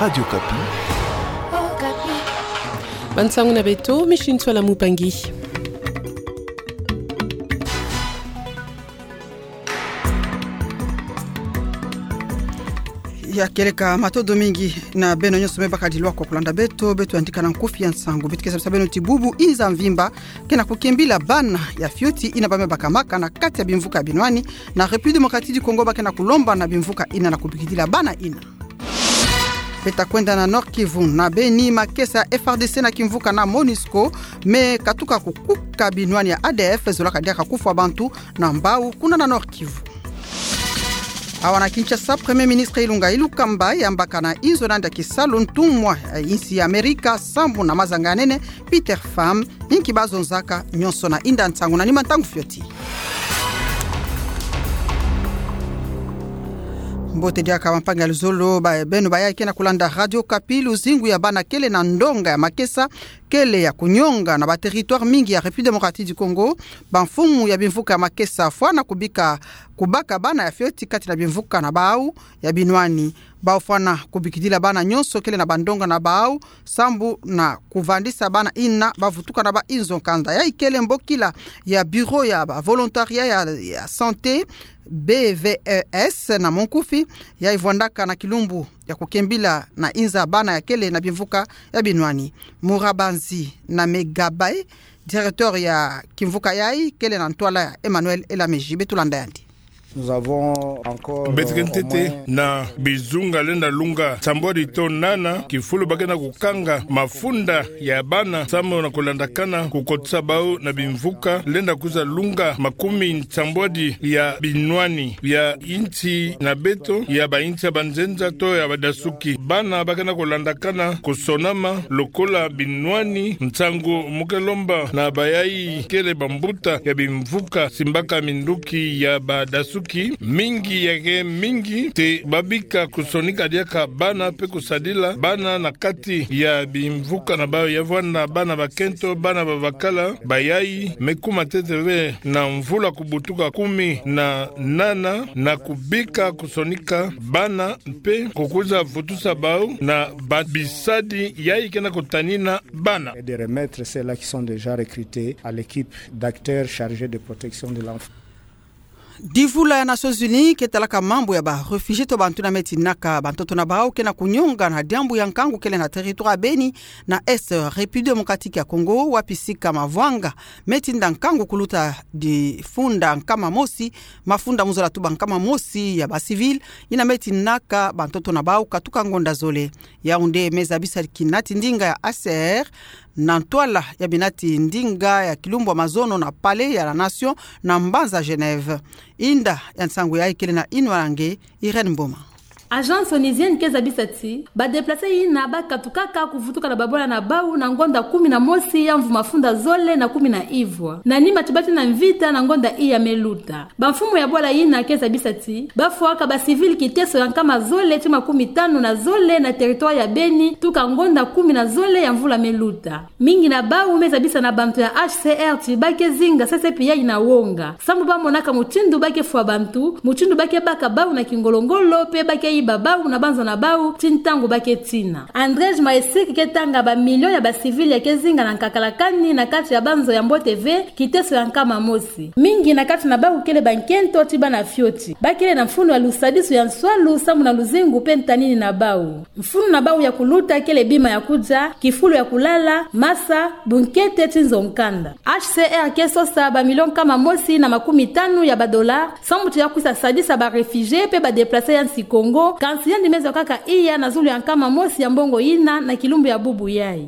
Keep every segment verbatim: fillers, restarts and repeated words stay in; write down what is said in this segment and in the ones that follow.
Radio Okapi. Bansangu na beto, Micheline Tsoala Mupangi. Ya kieleka, matondo mingi na beno nyonso me bakadi lwaka kulanda beto, beto yandi kana nkufi ya nsangu. Beto ke sabisa beno ti bubu inza mvimba ke na kukimbila bana ya fioti ina ba me bakamaka na kati ya bimvuka ya binwani, na République Démocratique du Congo ba ke na kulomba na bimvuka ina na kubikidila bana ina. Beto ta kwenda na Nord-Kivu, na Beni, makesa ya F A R D C na kimvuka na MONUSCO me katuka kukuka binwani ya A D F zolaka diaka kufwa bantu na mbau kuna na Nord-Kivu. Awa na Kinshasa, Premier Ministre Ilunga Ilunkamba yambaka na inzo na yandi ya kisalu ntumwa ya insi ya Amerika sambu na mazanga ya nene Peter Pham, inki ba zonzaka, nyonso na inda nsangu na nima ntangu fioti. Mbote diaka bampangi ya luzolo, ba, beno bayayi ke na kulanda Radio Okapi. Luzingu ya bana kele na ndonga ya makesa kele ya kunyonga na ba territoire mingi ya République Démocratique du Congo. Bamfumu ya bimvuka ya makesa fwana kubika, kubaka bana ya fioti kati na bimvuka na bau ya binwani. Bau fwana kubikidila bana nyonso kele na bandonga na bau sambu na kuvandisa bana ina ba vutuka na ba inzo nkanda. Yayi kele mbokila ya Bureau ya ba volontariat ya, ya santé, B V E S na monkufi, yayi vwandaka na kilumbu ya kukimbila na inza bana ya kele na bimvuka ya binwani. Murabanzi na Megabai, directeur ya kimvuka yayi, kele na ntwala ya Emmanuel Elameji. Beto landa yandi. Nous avons encore, Beto ke ntete, euh, au moins na bizunga lenda lunga nsambwadi to nana kifulu ba ke na kukanga mafunda ya bana sambu na kulandakana kukotisa bau na bimvuka lenda kwiza lunga makumi nsambwadi ya binwani ya insi na beto, ya bainsi ya banzenza to ya badasuki. Bana ba ke na kulandakana kusonama lokola binwani. Nsangu mu ke lomba na bayayi kele bambuta ya bimvuka simbaka minduki ya badasuki, mingi ya ke mingi te ba bika kusonika diaka bana mpe kusadila bana na kati ya bimvuka na bau. Ya vwanda bana bakento, bana babakala, bayayi me kuma ntete ve na mvula kubutuka kumi na nana, na kubika kusonika bana mpe kukwiza vutusa bau na ba bisadi yayi ke na kutanina bana. Et de remettre ceux-là qui sont déjà recrutés à l'équipe d'acteurs chargés de protection de l'enfant. Divula ya Nations Unies ke talaka mambu ya ba réfugiés to bantu ina me tinaka bantoto na bau ke na kunyonga na diambu ya nkangu kele na territoire ya Beni na Est République Démocratique ya Congo, wapi sika mavwanga me tinda nkangu kuluta difunda nkama mosi, mafunda mu zola tuba nkama mosi ya ba civils ina me tinaka bantoto na bau katuka ngonda zole. Yaoundé me zabisa kinati ndinga ya H C R na ntwala ya binati ndinga ya kilumbu ya mazono na Palais ya la Nation na mbanza Genève. Inda ya nsangu yayi kele na inwa ya nge Irène Mboma. Agence onusienne ke zabisa ti ba déplacés ina ba katukaka kuvutuka na babwala na bau na ngonda kumi na mosi ya mvu mafunda zole na kumi na ivwa. Na nima ti ba tina mvita na ngonda iya me luta. Bamfumu ya bwala ina ke zabisa ti ba fwaka ba civils kiteso ya nkama zole ti makumi tanu na zole na territoire ya Beni tuka ngonda kumi na zole ya mvula me luta. Mingi na bau me zabisa na bantu ya H C R ti ba ke zinga sese pi yayi na wonga. Sambu ba monaka mutindu ba ke fwa bantu, mutindu ba ke baka bau na kingolo-ngolo, mpe ba ke yiba bau na banzo na bau, ti ntangu ba ke tina. Andrzej Majewski ke tanga ba millions ya ba civils ya ke zinga na nkakala kani na kati ya banzo ya mbote ve, kiteso ya nkama mosi. Mingi na kati na bau kele bankento ti bana fioti. Ba kele na mfunu ya lusadisu ya nswalu sambu na luzingu mpe ntanini na bau. Mfunu na bau ya kuluta kele bima ya kudia, kifulu ya kulala, masa, bunkete ti nzo nkanda. H C R ke sosa ba millions nkama mosi na makumi tanu ya ba dollars, sambu ti ya kwisa sadisa ba réfugiés mpe ba déplacés ya nsi Congo, kansi yandi me zwa kaka iya na zulu ya nkama mosi ya mbongo ina na kilumbu ya bubu yayi.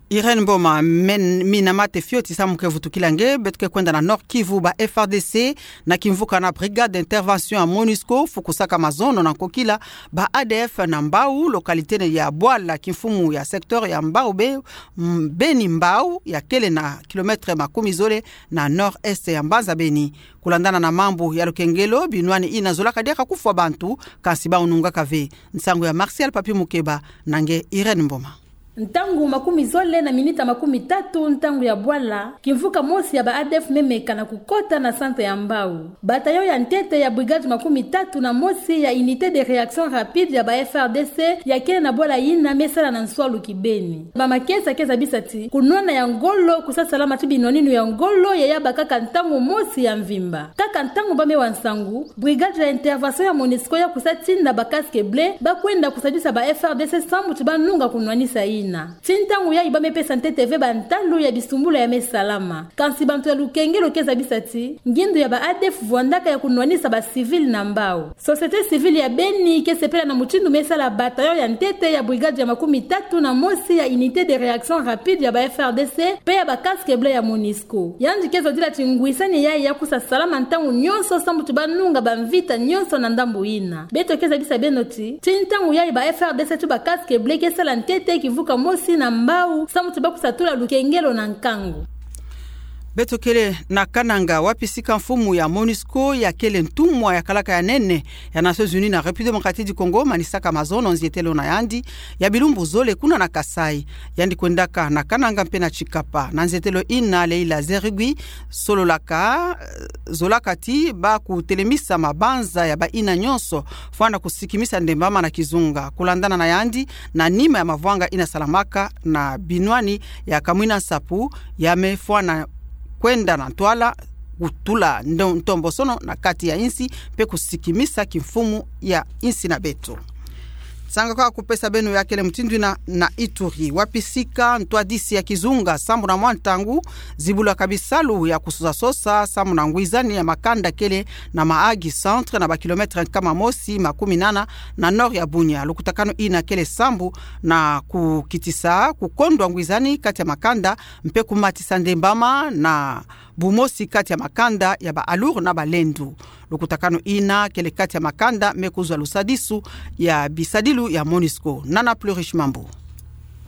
Irène Mboma, men-, mina mate fioti samu ke vutukila nge. Beto ke kwenda na Nord-Kivu, ba F A R D C na kimvuka na Brigade d'Intervention ya MONUSCO fukusaka mazono na nkokila ba A D F na Mbau, localité ya Bwala, kimfumu ya secteur ya Mbau Be-, m-, Beni Mbau, ya kele na kilomètre makumi zole na nord-est ya mbanza Beni. Kulandana na mambu ya lukengelo, binwani ina zolaka diaka kufwa bantu, kansi bau nungaka ve. Nsangu ya Martial Papi Mukeba na nge Irène Mboma. Ntangu makumi zole na minita makumi tatu ntangu ya bwala, kimvuka mosi ya ba ADF me meka na kukota na centre ya Mbao. Bataillon ya ntete ya brigade makumi tatu na mosi ya unité de réaction rapide ya ba FRDC ya kele na bwala yina me sala na nswalu kibeni. Ba makesa ke zabisa ti kunwana ya ngolo kusa salama ti binwaninu ya ngolo ya yabâ kaka ntangu mosi ya mvimba. Kaka ntangu ba me wa nsangu, brigade ya intervention ya MONUSCO ya kusa tinda ba casque bleu ba kwenda kusadisa ba FRDC sambu ti ba nunga kunwanisa yina. Ti ntangu yayi ba me pesa ntete ve ba ntalu ya bisumbulu ya me salama. Kansi bantu ya lukengelo ke zabisa ti ngindu ya ba ADF vwandaka ya kunwanisa ba civil na Mbao. Société civile ya Beni ke sepela na mutindu me sala bataillon ya ntete ya brigade ya makumi tatu na mosi ya unité de réaction rapide ya ba FRDC pe ya ba casque bleu ya MONUSCO. Yandi ke zodila ti ngwisani yayi ya kusa salama ntangu nyonso sambu ti ba nunga ba mvita nyonso na ndambu yina. Beto ke zabisa beno ti, ti ntangu yayi ba FRDC ti ba casque bleu ke sala ntete kimvuka mosi na Mbao sambu ti ba kusa tula lukengelo na nkangu. Beto kele na Kananga, wapi sika mfumu ya MONUSCO ya kele ntumwa ya kalaka ya nene ya Nations Unies na République Démocratique du Congo manisaka mazono nzietelo na yandi ya bilumbu zole kuna na Kasaï. Yandi kwendaka na Kananga mpe na Tshikapa. Na nzietelo yina Leila Zerrougui sololaka, eh, zolaka ti ba kutelemisa mabanza ya bayina nyonso fwana kusikimisa ndembama na kizunga. Kulandana na yandi, na nima ya mavwanga yina salamaka na binwani ya kamwina nsapu, ya me fwana kwenda na ntwala kutula ndo-, ntombosono na kati ya insi mpe kusikimisa kimfumu ya insi na beto. Nsanga kwa kupesa beno ya kele mutindu yina na Ituri, wapi sika ntwadisi ya kizunga sambu na mwa ntangu zibulaka bisalu ya kusosa sosa sambu na ngwizani ya makanda kele na Mahagi centre, na ba kilomètre nkama mosi makumi nana na nord ya Bunia. Lukutakanu yina kele sambu na kukitisa kukondwa ngwizani kati ya makanda mpe kumatisa ndembama na bumosi kati ya makanda ya ba Alur na ba Lendu. Lukutakanu yina kele kati ya makanda me kuzwa lusadisu ya bisadilu ya MONUSCO. Nana Plurish Mambu.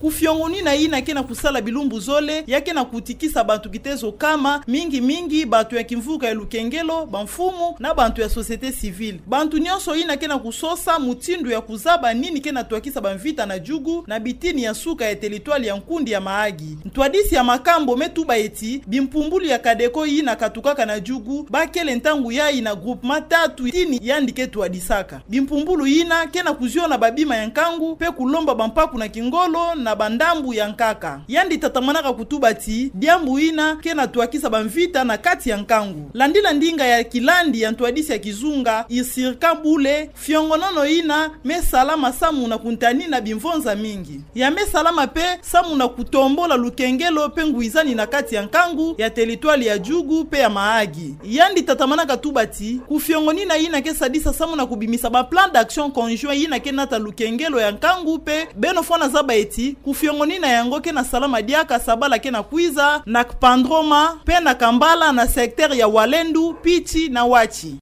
Kufiongonina yina ke na kusala bilumbu zole, ya ke na kutikisa bantu kitezo kama, mingi mingi bantu ya kimvuka ya lukengelo, bamfumu, na bantu ya société civile. Bantu nyonso yina ke na kusosa mutindu ya kuzaba nini ke na twakisa bamvita na jugu, na bitini ya suka ya territoire ya nkundi ya Mahagi. Ntwadisi ya makambu me tuba ti, bimpumbulu ya Codeco yina katukaka na jugu, ba kele ntangu yayi na groupement tatu tini yandi ke twadisaka. Bimpumbulu yina ke na kuziona babima ya nkangu, mpe kulomba bampaku na kingolo na bandambu ya nkaka. Yandi tatamanaka kutuba ti, diambu yina ke na twakisa bamvita na kati ya nkangu. Landila ndinga ya kilandi ya ntwadisi ya kizunga, Isirka Bule, fiongonono yina me salama samu na kuntanina bimvonza mingi. Ya me salama mpe samu na kutombola lukengelo mpe ngwizani na kati ya nkangu ya territoire ya jugu mpe ya Mahagi. Yandi tatamanaka tuba ti, kufiongonina yina ke sadisa samu na kubimisa ba plan d'action conjoint yina ke nata lukengelo ya nkangu mpe beno fwana zaba ti, kufiongonina yango ke na salama diaka sabala ke na kwiza, na Kpandroma, mpe na Kambala na secteur ya Walendu, Pitchi na Watchi.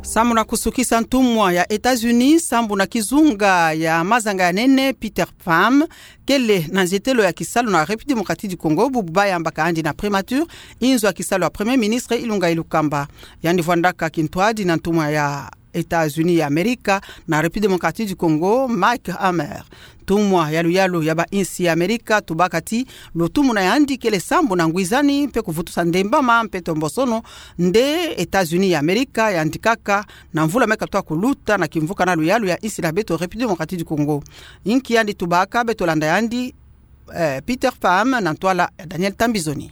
Samu na kusukisa, ntumwa ya États-Unis sambu na kizunga ya mazanga ya nene, Peter Pham, kele na nzietelo ya kisalu na République Démocratique du Congo, bubu ba yambaka andi na primature inzo ya kisalu ya Premier Ministre Ilunga Ilukamba. Yandi vwandaka kintwadi na ntumwa ya États-Unis ya Amerika na République Démocratique du Congo, Mike Hammer. Ntumwa ya luyalu ya ba insi ya Amerika tubaka ti lutumu na yandi kele sambu na ngwizani mpe kuvutusa ndembama mpe ntombosono nde États-Unis ya Amerika yandikaka na mvula me katuka kuluta na kimvuka na luyalu ya insi na beto République Démocratique du Congo. Inki yandi tubaka, beto landa yandi, eh, Peter Pham na ntwala ya Daniel Tambizoni.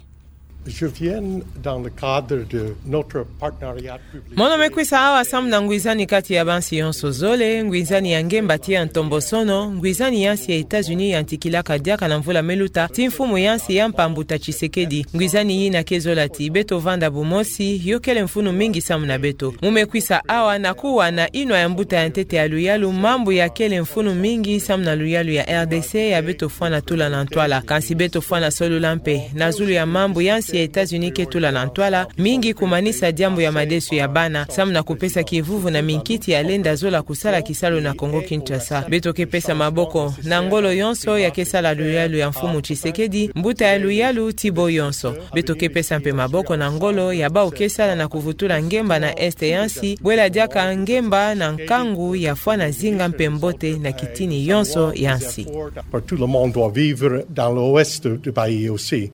Je viens dans le cadre de notre partenariat public. Mono me kwisa awa samu na ngwizani kati ya bansi yonso zole, ngwizani ya ngemba tii ya ntombosono, ngwizani ya nsi ya États-Unis yantikilaka diaka na mvula me luta, tii mfumu ya nsi ya mpambuta Tshisekedi. Ngwizani yina ke zola ti beto vanda bumosi, yo kele mfunu mingi samu na beto. Mu me kwisa awa na kuwa na inwa ya mbuta ya ntete ya luyalu, mambu ya kele mfunu mingi samu na luyalu ya R D C ya beto fwana tula na ntwala. Kansi beto fwana solola mpe na zulu ya mambu ya nsi ya États-Unis ke tula na ntwala mingi kumanisa diambu ya madesu ya bana, samu na kupesa kivuvu na minkiti ya lenda zola kusala kisalu na Kongo-Kinshasa. Beto ke pesa maboko na ngolo yonso ya ke sala luyalu ya Mfumu Tshisekedi, mbuta ya luyalu ti bo yonso. Beto ke pesa mpe maboko na ngolo ya bawu ke sala na kuvutula ngemba na Est ya nsi, bwela diaka ngemba na nkangu ya fwana zinga mpe mbote na kitini yonso ya nsi. Pour tout le monde doit vivre dans l'ouest du pays aussi.